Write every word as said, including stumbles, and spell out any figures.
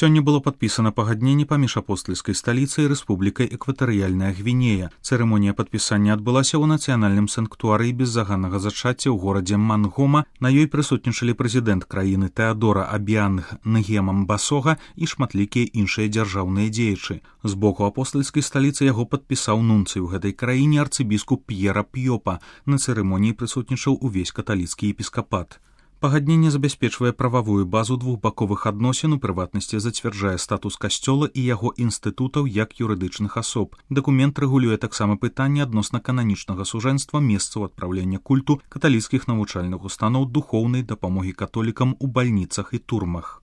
Сёння было падпісана пагадненне паміж апостальскай сталіцай і Рэспублікай Экватарыяльная Гвінея. Цырымонія падпісання адбылася ў нацыянальным санктуарыі беззаганнага зачацця ў горадзе Мангома. На ёй прысутнічалі прэзідэнт краіны Тэадора Абіанг Нгема Мбасога і шматлікія іншыя дзяржаўныя дзеячы. З боку апостальскай сталіцы яго падпісаў нунцый у гэтай краіне арцыбіскуп П'ера П'ёпа. На цырымоніі прысутнічаў увесь каталіцкі епіскапат. Пагадненне забяспечвае прававую базу двухбаковых адносін, у прыватнасці зацвярджае статус касцёла і яго інстытутаў як юрыдычных асоб. Дакумент рэгулюе таксама пытанне адносна кананічнага сужэнства месцаў адпраўлення культу, каталіцкіх навучальных устаноў, духоўнай дапамогі католікам у бальніцах і турмах.